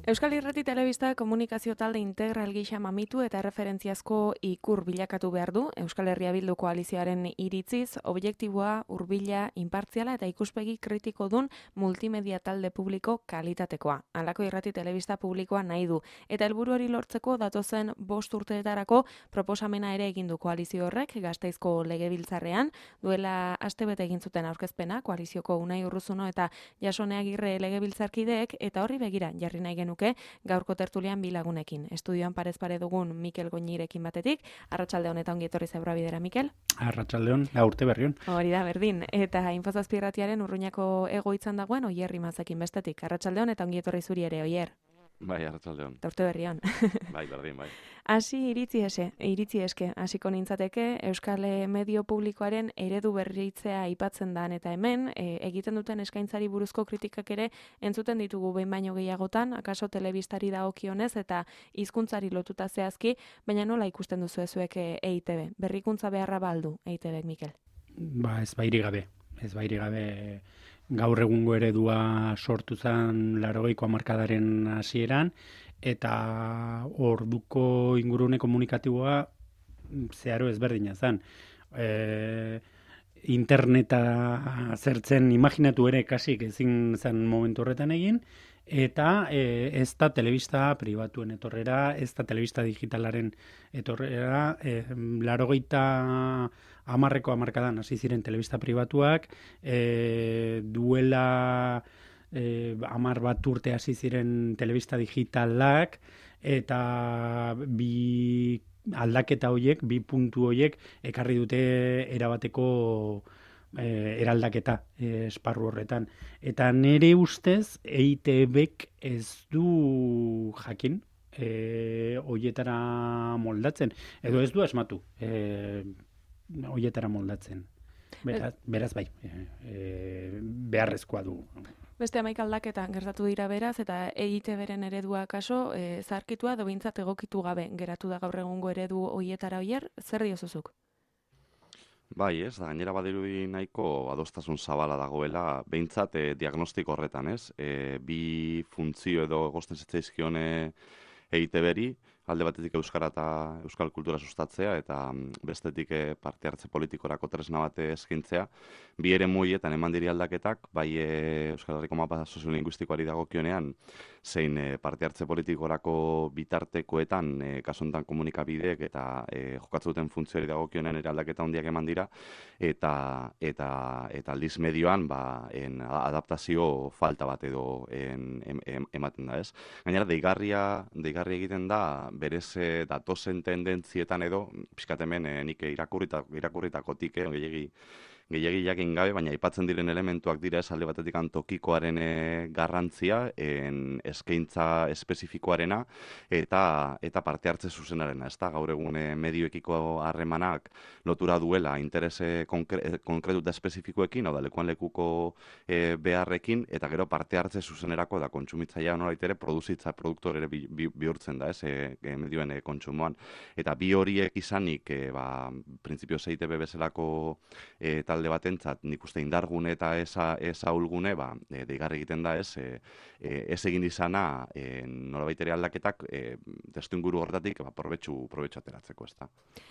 Euskal Irrati Telebista komunikazio talde integral gisa mamitu eta referentziazko ikur bilakatu behar du Euskal Herria Bildu koalizioaren iritziz, objektiboa, hurbila, inpartziala eta ikuspegi kritiko dun multimedia talde publiko kalitatekoa. Halako irrati telebista publikoa nahi du eta helburu hori lortzeko datozen 5 urteetarako proposamena ere egin du koalizio horrek Gasteizko legebiltzarrean, duela astebete egin zuten aurkezpena koalizioko Unai Urruzuno eta Jasone Agirre legebiltzarkideek eta horri begira jarri nahi genuke gaurko tertulian bi lagunekin. Estudioan parez pare dugun Mikel Goñirekin batetik. Arratsalde honetan ongi etorri Zebra Bidera, Mikel. Arratsaldeon, urte berrion. Hori da, berdin. Eta Infozazpi irratiaren Urruñako egoitzan dagoen Oier Rimazekin bestetik. Arratsalde honetan ongi etorri zuri ere, Oier. Bai, arratsaldeon. Eta urte berrion. Bai, berdin, bai. Hasi iritzi eske, hasiko nintzateke Euskal Medio Publikoaren eredu berritzea aipatzen da eta hemen egiten duten eskaintzari buruzko kritikak ere entzuten ditugu behin baino gehiagotan, akaso telebistari dagokionez eta hizkuntzari lotuta zehazki, baina nola ikusten duzu zuek EITB? Berrikuntza beharra baldu EITB, Mikel? Ez bairi gabe gaur egungo eredua sortu zen 80ko hamarkadaren hasieran, eta orduko ingurune komunikatiboa zeharo ezberdina zen. Interneta zertzen imaginatu ere kasik ezin zen momentu horretan egin, eta ez da telebista pribatuen etorrera, ez da telebista digitalaren etorrera, 80ko hamarkadan hasi ziren telebista pribatuak, duela 10 bat urte hasi ziren telebista digitalak, eta bi aldaketa horiek, bi puntu horiek ekarri dute erabateko eraldaketa esparru horretan. Eta nire ustez EITBek ez du jakin horietara moldatzen, edo ez du asmatu horietara moldatzen. Beraz bai, beharrezkoa du. Beste 11 aldaketa gertatu dira beraz, eta EITBren eredua kaso zaharkitua edo behintzat egokitu gabe geratu da gaur egungo eredu horietara. Oier, zer diozuzuk? Bai, ez, da gainera badirudi nahiko adostasun zabala dagoela, behintzat diagnostiko horretan, ez? Bi funtzio edo egozten zitzaizkion EITBri, alde batetik euskara eta euskal kultura sustatzea, eta bestetik parte hartze politikorako tresna bat eskaintzea. Bi ere muietan eman diri aldaketak, bai Euskal Herriko mapa soziolinguistikoari dagokionean, zein parte hartze politikorako bitartekoetan, kasu honetan komunikabideek eta jokatzen duten funtzioari dagokionean ere aldaketa handiak eman dira, eta aldiz medioan adaptazio falta bat edo ematen da, ez? Gainera, deigarri egiten da, berez datozen tendentzietan edo, pixkat hemen nik irakurritakotik gehiegi jakin gabe, baina aipatzen diren elementuak dira alde batetik tokikoaren garrantzia, eskaintza espezifikoarena eta parte hartze zuzenarena. Ez da, gaur egun medioekiko harremanak lotura duela interes konkretu eta espezifikoekin, hau da, lekuan lekuko beharrekin, eta gero parte hartze zuzenerako da kontsumitzailea nolait ere produzitza produktor ere bihurtzen da, medioen kontsumoan. Eta bi horiek izanik, printzipioz EITB bezalako talde batentzat, nik uste indargune eta ez ahulgune, deigarri egiten da, ez egin izana nolabait ere aldaketak testuinguru horretatik probetxu ateratzeko, ez da.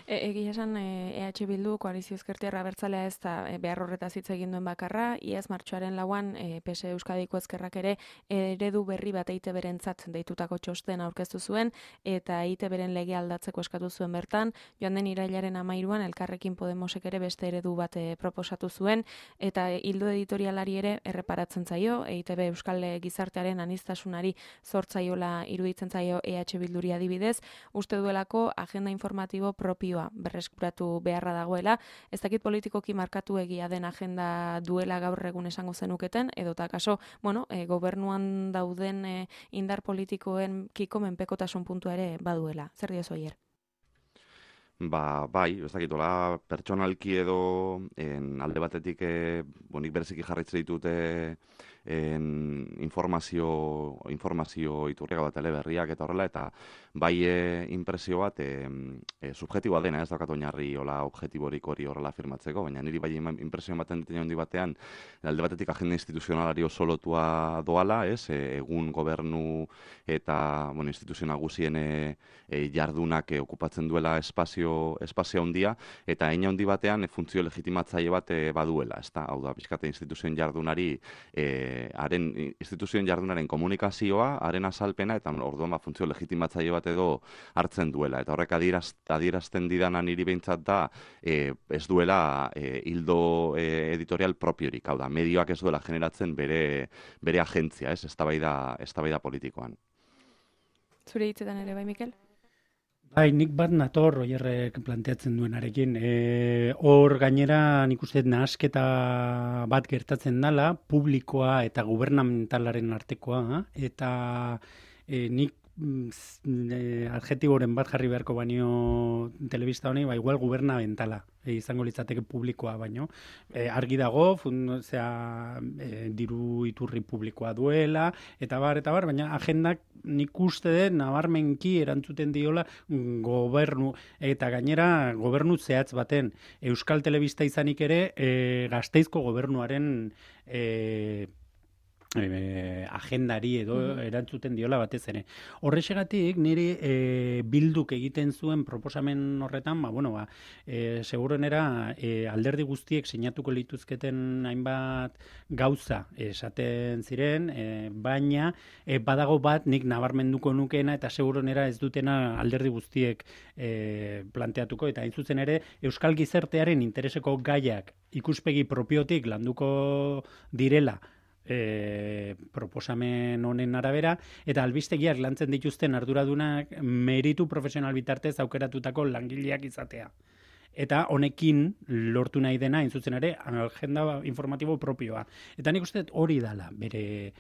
Egia esan EH Bildu koalizio ezkertiarra abertzalea ez da behar horretaz hitz egin duen bakarra, iaz martxoaren 4 PS Euskadiko ezkerrak ere eredu berri bat EITBrentzat deitutako txosten aurkeztu zuen, eta EITBren lege aldatzeko eskatu zuen bertan, joan den irailaren 13an Elkarrekin Podemosek ere beste eredu bat proposatu zuen, eta ildo editorialari ere erreparatzen zaio, EITB Euskal gizartearen aniztasunari zortzaiola iruditzen zaio EH Bilduri adibidez, uste duelako agenda informatibo propioa berreskuratu beharra dagoela. Ez dakit politikoki markatu egia den agenda duela gaur egun esango zenuketen, edota kaso, gobernuan dauden indar politikoen kiko menpekotasun puntua ere baduela. Zer diozu, Oier? Bai, ez dakitola, pertsonalki edo alde batetik nik bereziki jarraitzen ditut informazio iturriak bat teleberriak eta horrela, eta bai impresio bat subjetiboa dena, ez daukat oinarri hola objektiborik hori horrela afirmatzeko, baina niri bai impresio ematen dut handi batean, alde batetik agenda instituzionalari oso lotua doala, egun gobernu eta instituzio nagusien jardunak okupatzen duela espazio handia, eta hein handi batean funtzio legitimatzaile bat baduela, ezta? Hau da, pixkate instituzioen jardunari, instituzioen jardunaren komunikazioa, haren azalpena, eta orduan funtzio legitimatzaile bat edo hartzen duela. Eta horrek adierazten didana niri behintzat da, ez duela hildo editorial propiorik, hau da, medioak ez duela generatzen bere agentzia, ez? Eztabaida politikoan. Zure hitzetan ere, bai, Mikel? Bai, nik bat nator oierrek planteatzen duenarekin. Hor gainera nik uste nahasketa bat gertatzen dela, publikoa eta gubernamentalaren artekoa, eta nik adjetiboren bat jarri beharko baino telebista honi, igual gubernamentalala izango litzateke publikoa baino. Argi dago, diru iturri publikoa duela, eta bar, baina agendak nik uste dut nabarmenki erantzuten diola gobernu, eta gainera gobernu zehatz baten. Euskal Telebista izanik ere, Gasteizko gobernuaren agendari edo erantzuten diola batez ere. Horrexegatik niri bilduk egiten zuen proposamen horretan, seguruenera alderdi guztiek sinatuko lituzketen hainbat gauza esaten ziren, baina badago bat nik nabarmenduko nukeena eta seguruenera ez dutena alderdi guztiek planteatuko, eta hain zuzen ere Euskal Gizartearen intereseko gaiak ikuspegi propiotik landuko direla proposamen honen arabera, eta albistegiak lantzen dituzten arduradunak meritu profesional bitartez aukeratutako langileak izatea. Eta honekin lortu nahi dena, zuzen ere, agenda informatibo propioa. Eta nik uste hori dala bere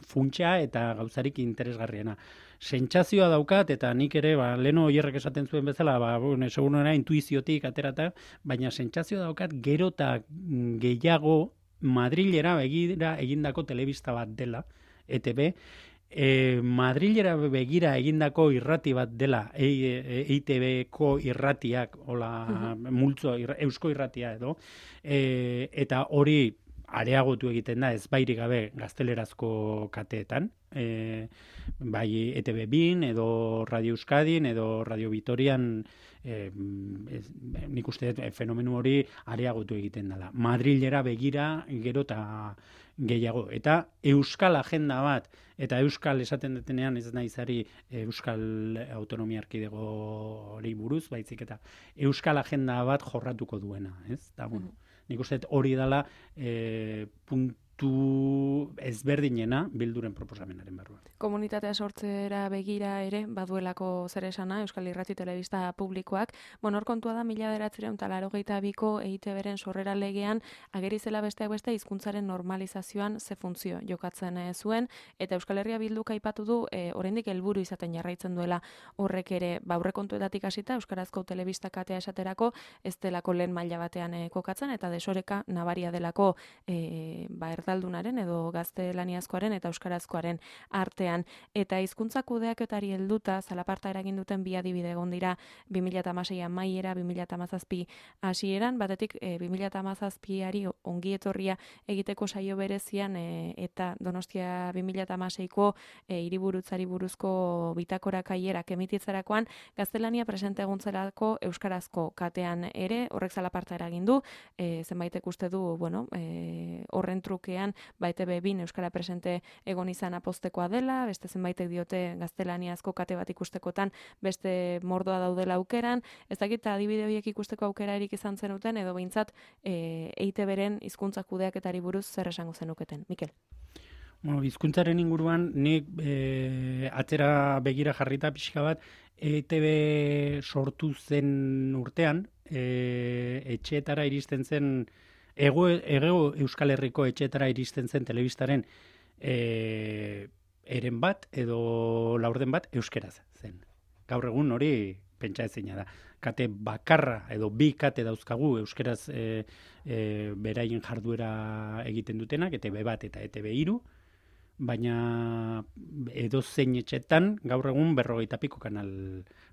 funtsa eta gauzarik interesgarriena. Sentsazioa daukat, eta nik ere, leno oierrek esaten zuen bezala, segurunera intuiziotik aterata, baina sentsazioa daukat gero eta gehiago Madrilera begira egindako telebista bat dela, ETB, Madrilera begira egindako irrati bat dela, EITB-ko irratiak, multzo, eusko irratia edo, eta hori areagotu egiten da, ez bairik gabe gaztelerazko kateetan, bai ETB bin, edo Radio Euskadin, edo Radio Vitorian, nik uste fenomenu hori areagotu egiten dela. Madrilera begira gero eta gehiago. Eta euskal agenda bat, eta euskal esaten detenean ez naizari Euskal Autonomia Erkidego hori buruz, baizik eta euskal agenda bat jorratuko duena. Eta, nik uste hori dela puntu ezberdinena bilduren proposamenaren barruan. Komunitatea sortzera begira ere, baduelako zer esana, Euskal Irrati Telebista publikoak. Hor kontua da, 1982ko EITB-ren sorrera legean, ageri zela besteak beste hizkuntzaren normalizazioan ze funtzio jokatzen zuen, eta Euskal Herria Bilduk aipatu du, oraindik helburu izaten jarraitzen duela horrek ere, aurrekontuetatik hasita, Euskarazko telebista katea esaterako, ez delako lehen maila batean kokatzen, eta desoreka nabaria delako erdaldunaren edo gaztelaniazkoaren eta euskarazkoaren artean. Eta hizkuntza kudeaketari helduta zalaparta eragin duten bi adibide egon dira 2016 amaiera, 2017 hasieran, batetik 2017ari ongi etorria egiteko saio berezian eta Donostia 2016ko hiriburutzari buruzko bitakora kaierak emititzerakoan gaztelania presente egontzelako euskarazko katean ere, horrek zalaparta eragin du, zenbaitek uste du, horren trukean, ETB bin euskara presente egon izan apostekoa dela, beste zenbaitek diote gaztelaniazko kate bat ikustekotan beste mordoa daudela aukeran, ez dakit adibide horiek ikusteko aukerarik izan zenuten, edo behintzat EITB-ren hizkuntza kudeaketari buruz zer esango zenuketen. Mikel? Hizkuntzaren inguruan, nik atzera begira jarrita pixka bat, EITB sortu zen urtean, etxeetara iristen zen, Ego Euskal Herriko etxeetara iristen zen telebistaren eren bat edo laurden bat euskeraz zen. Gaur egun hori pentsa ezina da. Kate bakarra edo bi kate dauzkagu euskeraz beraien jarduera egiten dutenak, ETB bat eta ETB 3, baina edo zein etxetan gaur egun 50 piko kanal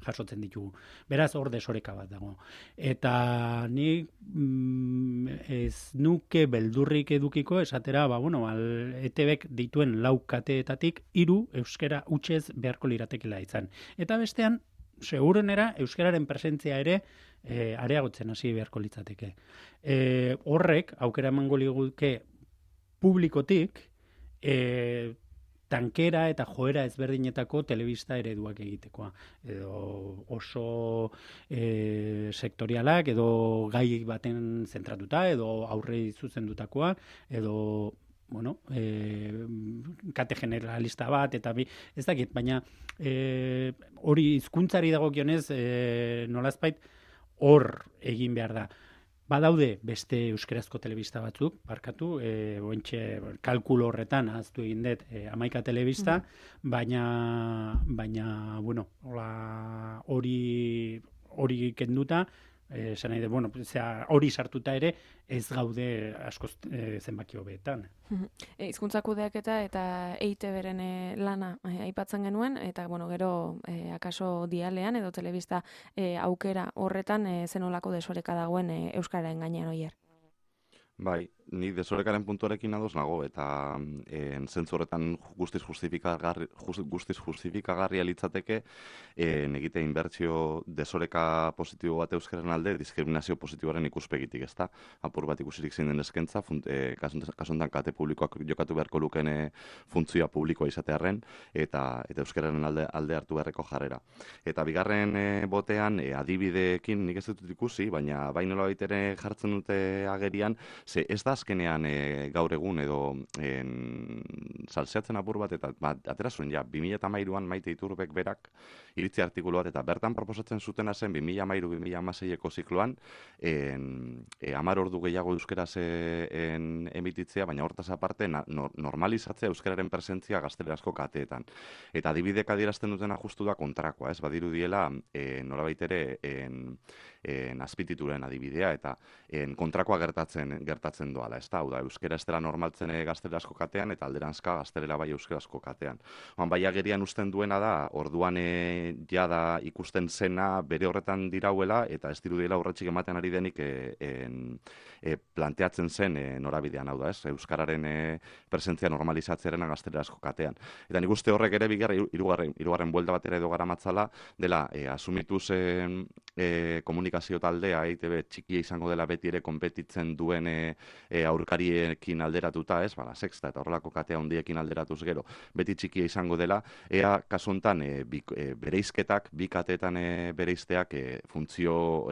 jasotzen ditugu. Beraz, hor desoreka bat dago. Eta ni ez nuke beldurrik edukiko esatera, ETBek dituen 4 kateetatik 3 euskara hutsez beharko liratekela izan. Eta bestean, segurenera euskararen presentzia ere areagotzen hasi beharko litzateke. Horrek aukera emango liguke publikotik tankera eta joera ezberdinetako telebista ereduak egitekoa. Edo oso sektorialak, edo gai baten zentratuta, edo aurrei zuzendutakoa, edo kate generalista bat, eta ez dakit, baina hori hizkuntzari dagokionez nolazbait hor egin behar da. Badaude beste euskerazko telebista batzuk, barkatu, ointxe kalkulo horretan ahaztu egin dut 11 telebista, baina hori kenduta, esan nahi hori sartuta ere ez gaude askoz zenbaki hobeetan. Hizkuntza kudeaketa eta EITB-ren lana aipatzen genuen, eta gero akaso dialean edo telebista aukera horretan zenolako desoreka dagoen euskararen gainean oier. Bai, ni desorekaren puntuarekin ados nago, eta zentzu horretan guztiz justifikagarria litzateke egite inbertsio desoreka positibo bat euskaren alde, diskriminazio positiboaren ikuspegitik, ezta? Apur bat ikusirik zein den eskaintza, kasuntan kate publikoak jokatu beharko lukene funtzioa publikoa izatearren, eta euskararen alde hartu beharreko jarrera. Eta bigarren botean, adibideekin nik ez dut ikusi, baina bainola baitere jartzen dute agerian, ze ez da azkenean gaur egun edo salseatzen apur bat, eta atera zuen 2013an Maite Iturbek berak iritzi artikulu bat, eta bertan proposatzen zutena zen 2013-2016eko zikloan 10 ordu gehiago euskeraz emititzea, baina hortaz aparte normalizatzea euskararen presentzia gaztelerazko kateetan. Eta adibidek adierazten dutena justu da kontrakoa, ez badirudiela nolabait ere azpitituren adibidea, eta kontrakoa gertatzen doala, ez da, hau da, euskera ez dela normaltzen gaztelerazko katean, eta alderanzka gaztelera bai euskerazko katean. Bai agerian usten duena da, orduan jada ikusten zena bere horretan dirauela, eta ez dirudiela urratxik ematen ari denik planteatzen zen norabidean, hau da, ez, euskararen presentzia normalizatzearen gaztelerazko katean. Eta nik uste horrek ere hirugarren buelta bat ere edo garamatzala, dela, asumituz komunikazio taldea, EITB txikia izango dela beti ere konpetitzen duen aurkariekin alderatuta, ez, Sexta eta horrelako katea handiekin alderatuz gero, beti txikia izango dela, ea kasu honetan bereizketak, bi kateetan bereizteak funtzio,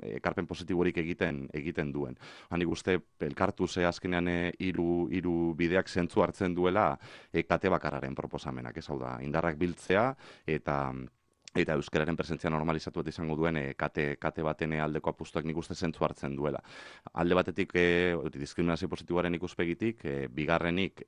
ekarpen positiborik egiten duen. Nik uste elkartu ze azkenean hiru bideak zentzu hartzen duela kate bakarraren proposamenak, ez hau da, indarrak biltzea eta euskararen presentzia normalizatu bat izango duen kate baten aldeko apustuak nik uste zentzu hartzen duela. Alde batetik diskriminazio positiboaren ikuspegitik, bigarrenik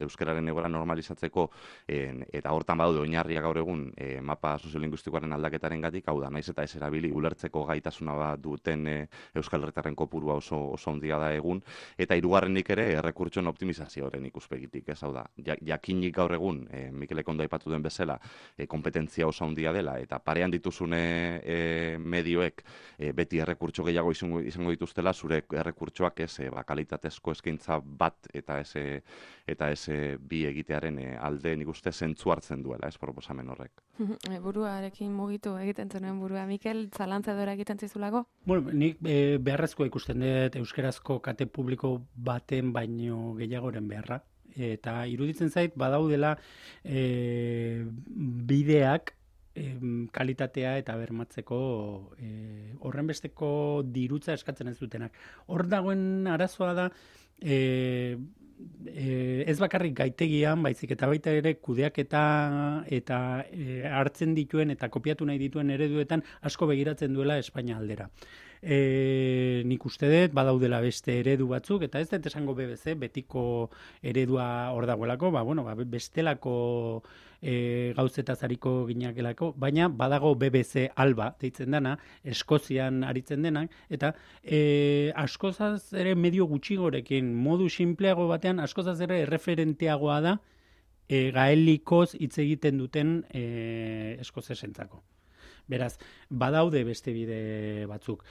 euskararen egoera normalizatzeko, eta hortan badaude oinarriak gaur egun mapa soziolinguistikoaren aldaketaren gatik, hau da, naiz eta ez erabili ulertzeko gaitasuna bat duten euskal herritarren kopurua oso handia da egun, eta hirugarrenik ere errekurtsoen optimizazioaren ikuspegitik, ez hau da, jakinik gaur egun, Mikelek ondo aipatu duen bezala, kompetentzia oso handia dela, eta parean dituzune medioek beti errekurtso gehiago izango dituztela, zure errekurtsoak ez kalitatezko eskaintza bat eta ez bi egitearen alde nik uste zentzu hartzen duela, ez proposamen horrek. Buruarekin mugitu egiten zenuen burua. Mikel, zalantza edora egiten zizulago? Nik beharrezkoa ikusten dut euskerazko kate publiko baten baino gehiagoren beharra. Eta iruditzen zait, badaudela bideak kalitatea eta bermatzeko horrenbesteko dirutza eskatzen ez dutenak. Hor dagoen arazoa da ez bakarrik gaitegian, baizik eta baita ere kudeaketa eta hartzen dituen eta kopiatu nahi dituen ereduetan asko begiratzen duela Espainia aldera. nik uste dut, badaudela beste eredu batzuk, eta ez dut esango BBC, betiko eredua hor dagoelako, bestelako gauzetaz hariko ginakelako, baina badago BBC Alba, deitzen dana, Eskozian aritzen denak, eta askozaz ere medio gutxigorekin, modu simpleago batean, askozaz ere erreferenteagoa da, gaelikoz hitz egiten duten eskozesentzako. Beraz, badaude beste bide batzuk.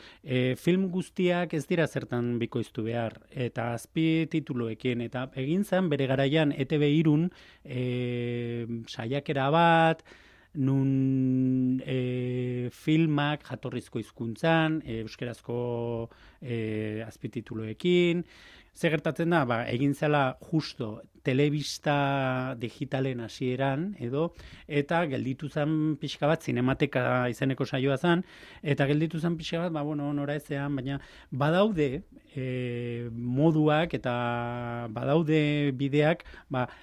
Film guztiak ez dira zertan bikoiztu behar, eta azpi tituloekin, eta egin zen bere garaian ETB irun saiakera bat, nun filmak jatorrizko hizkuntzan, euskerazko azpitituloekin. Ze gertatzen da, egin zela justo telebista digitalen hasieran edo, eta gelditu zen pixka bat, zinemateka izeneko saioa zen, eta gelditu zen pixka bat, nora ezean, baina badaude moduak eta badaude bideak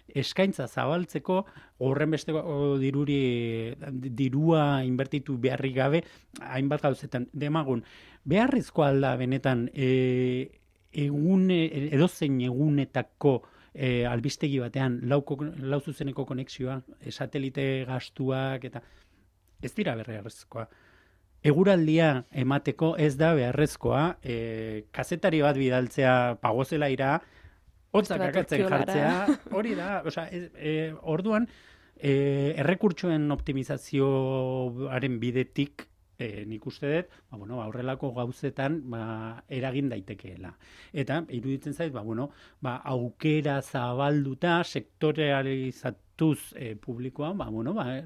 eskaintza zabaltzeko, horren besteko dirua inbertitu beharrik gabe, hainbat gauzetan, demagun, beharrezkoa alda benetan edozein egunetako albistegi batean lau zuzeneko konexioa, satelite gastuak, eta ez dira beharrezkoa. Eguraldia emateko ez da beharrezkoa, kazetari bat bidaltzea pagozelaira, hotzak akatzen jartzea, hori da, orduan, errekurtsoen optimizazioaren bidetik, nik uste dut, aurrelako gauzetan eragin daitekeela. Eta, iruditzen zait, aukera zabalduta, sektorealizatuz publikoa,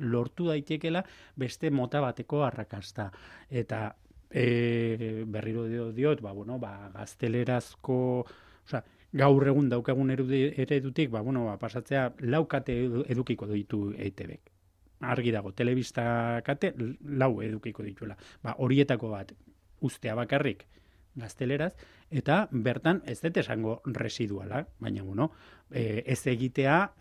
lortu daitekeela beste mota bateko arrakasta. Eta, berriro diot, gaztelerazko, gaur egun daukagun eredutik, pasatzea laukate edukiko ditu EITBek. Argi dago, telebista kate, lau edukiko dituela. Horietako bat, ustea bakarrik gazteleraz, eta bertan ez dut esango residuala, baina ez egitea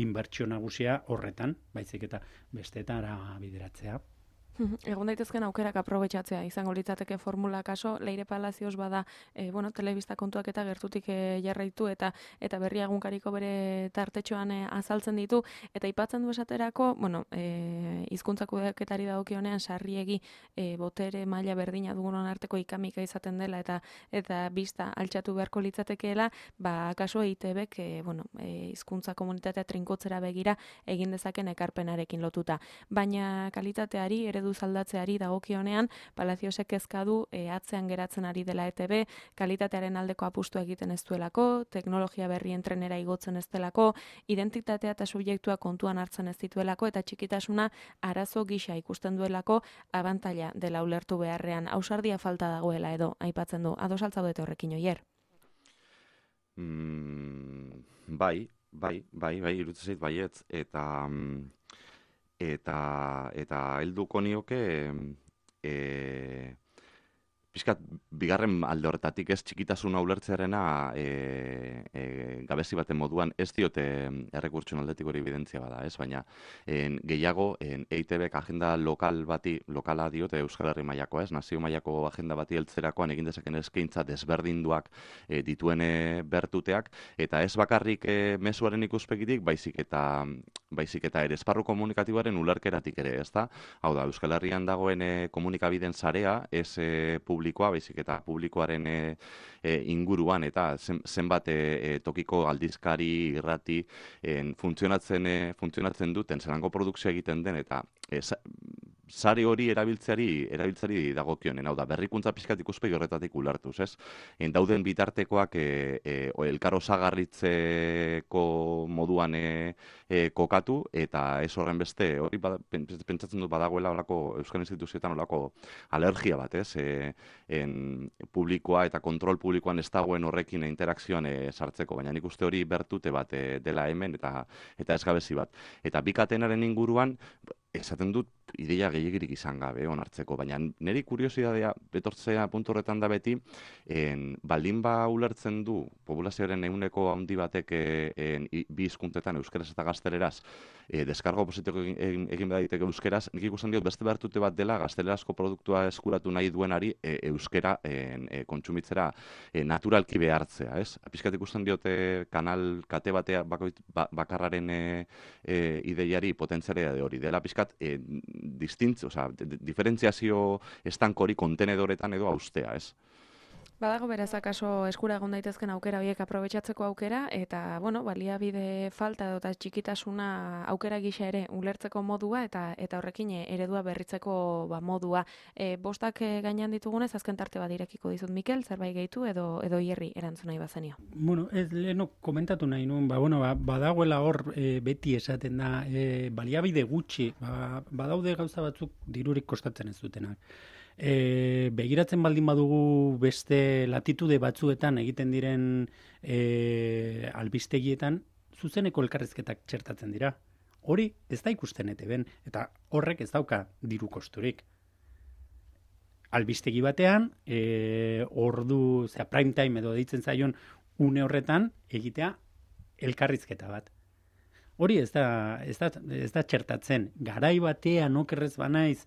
inbertsio nagusia horretan, baizik eta besteetara bideratzea. Egon daitezken aukerak aprobetxatzea, izango litzateke formula kaso, Leire Palazioz bada, telebista kontuak eta gertutik jarraitu, eta berria egunkariko bere tartetxoan azaltzen ditu, eta aipatzen du esaterako, hizkuntza kudeaketari dagokionean sarriegi botere maila berdina dugunon arteko ikamika izaten dela, eta bista altxatu beharko litzatekeela, kaso EITBek, hizkuntza komunitatea trinkotzera begira egin dezaken ekarpenarekin lotuta. Baina kalitateari, eredu zaldatzeari dagokionean, Palaziosek kezka du atzean geratzen ari dela ETB, kalitatearen aldeko apustu egiten ez duelako, teknologia berrien trenera igotzen ez delako, identitatea eta subjektua kontuan hartzen ez dituelako, eta txikitasuna arazo gisa ikusten duelako abantaila dela ulertu beharrean. Ausardia falta dagoela edo, aipatzen du. Ados altzaudete horrekin, Oier? Bai, iruditzen zait baietz, eta helduko nioke pixkat bigarren alde horretatik ez txikitasuna ulertzearena gabezi baten moduan ez diote errekurtsoen aldetik hori evidentzia bada, ez? Baina gehiago EITBek agenda lokala diote Euskal Herri mailakoa, ez? Nazio mailako agenda bati heltzerakoan egin dezaken eskaintza desberdinduak dituen bertuteak, eta ez bakarrik mezuaren ikuspegitik, baizik eta ere esparru komunikatiboaren ulerkeratik ere, ezta? Hau da, Euskal Herrian dagoen komunikabideen sarea, ez publikoa, baizik eta publikoaren inguruan, eta zenbat tokiko aldizkari, irrati, funtzionatzen duten, zelango produkzioa egiten den, eta sare hori erabiltzeari dagokionen, hau da, berrikuntza pixkat ikuspegi horretatik ulertuz, ez? Dauden bitartekoak elkar osagarritzeko moduan kokatu, eta ez horren beste, hori pentsatzen dut badagoela Euskal Instituzioetan olako alergia bat, ez? Publikoa eta kontrol publikoan ez dagoen horrekin interakzioan sartzeko, baina nik uste hori bertute bat dela hemen, eta ez gabezi bat. Eta bikatenaren inguruan, esaten dut ideia gehiegirik izan gabe onartzeko, baina niri kuriosidadea betortzea puntu horretan da beti, baldin ba ulertzen du populazioaren ehuneko handi batek bi hizkuntzetan euskeraz eta gazteleraz deskargo positibo egin behar daiteke euskeraz, nik ikusten diot beste behartute bat dela gaztelerazko produktua eskuratu nahi duenari euskera kontsumitzera naturalki behartzea, ez? Pizkat ikusten diote kanal kate batea bakarraren ideiari potentzialea de hori, dela pizkat diferentziazio estankori kontenedoretan edo austea, ez? Badago beraz akaso eskura egon daitezken aukera horiek aprobetxatzeko aukera, eta, bueno, baliabide falta eta txikitasuna aukera gisa ere ulertzeko modua, eta horrekin eredua berritzeko modua. Bostak gainean ditugunez, azken tarte bat irekiko dizut, Mikel, zerbait gehitu edo hierri erantzun nahi bazenio. Bueno, ez leheno komentatu nahi nuen, badagoela hor beti esaten da, baliabide gutxi, badaude gauza batzuk dirurik kostatzen ez dutenak. Begiratzen baldin badugu beste latitude batzuetan egiten diren albistegietan zuzeneko elkarrizketak txertatzen dira. Hori ez da ikusten ETBn, eta horrek ez dauka diru kosturik. Albistegi batean, prime time edo deitzen zaion une horretan egitea elkarrizketa bat. Hori ez da txertatzen. Garai batean okerrez banaiz,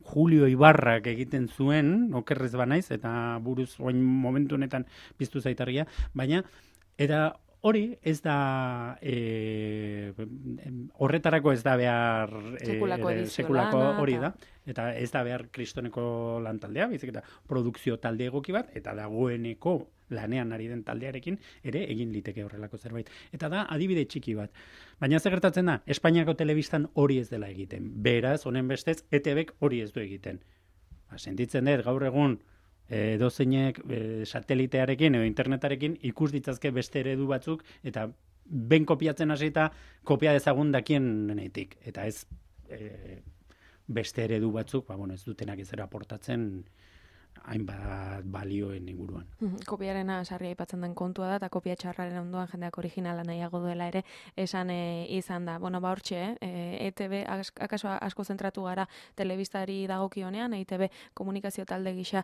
Julio Ibarrak egiten zuen, okerrez banaiz, eta buruz oin momentu honetan piztu zaitarria, baina eta hori ez da horretarako ez da behar sekulako hori da, eta ez da behar kristoneko lantaldea, bizik eta produkzio talde egoki bat, eta dagoeneko lanean ari den taldearekin ere egin liteke horrelako zerbait. Eta da adibide txiki bat. Baina zer gertatzen da, Espainiako telebistan hori ez dela egiten. Beraz, honen bestez, ETBek hori ez du egiten. Sentitzen dut, gaur egun, dozeinek satelitearekin edo internetarekin ikus ditzazke beste eredu batzuk, eta ben kopiatzen hasita kopia dezagun dakien nenetik. Eta ez beste eredu batzuk, ez dutenak ezera aportatzen hainbat balioen inguruan. Kopiarena sarri aipatzen den kontua da, eta kopia txarraren ondoan jendeak originala nahiago duela ere esan izan da. Hortxe, ETB akaso asko zentratu gara telebistari dagokionean, ETB komunikazio talde gisa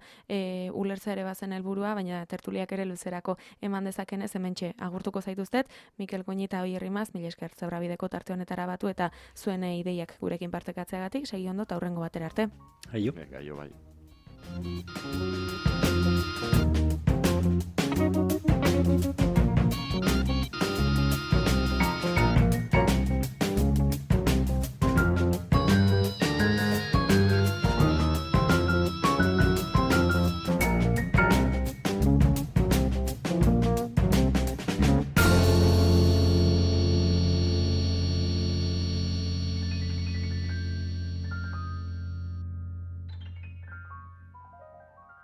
ulertza ere bazen helburua, baina tertuliak ere luzerako eman dezakenez hementxe agurtuko zaituztet, Mikel Goñi eta Oier Rimaz, mila esker Zebrabideko tarte honetara batu eta zuen ideiak gurekin partekatzeagatik, segi ondo eta hurrengo batera arte. Aio. Bai.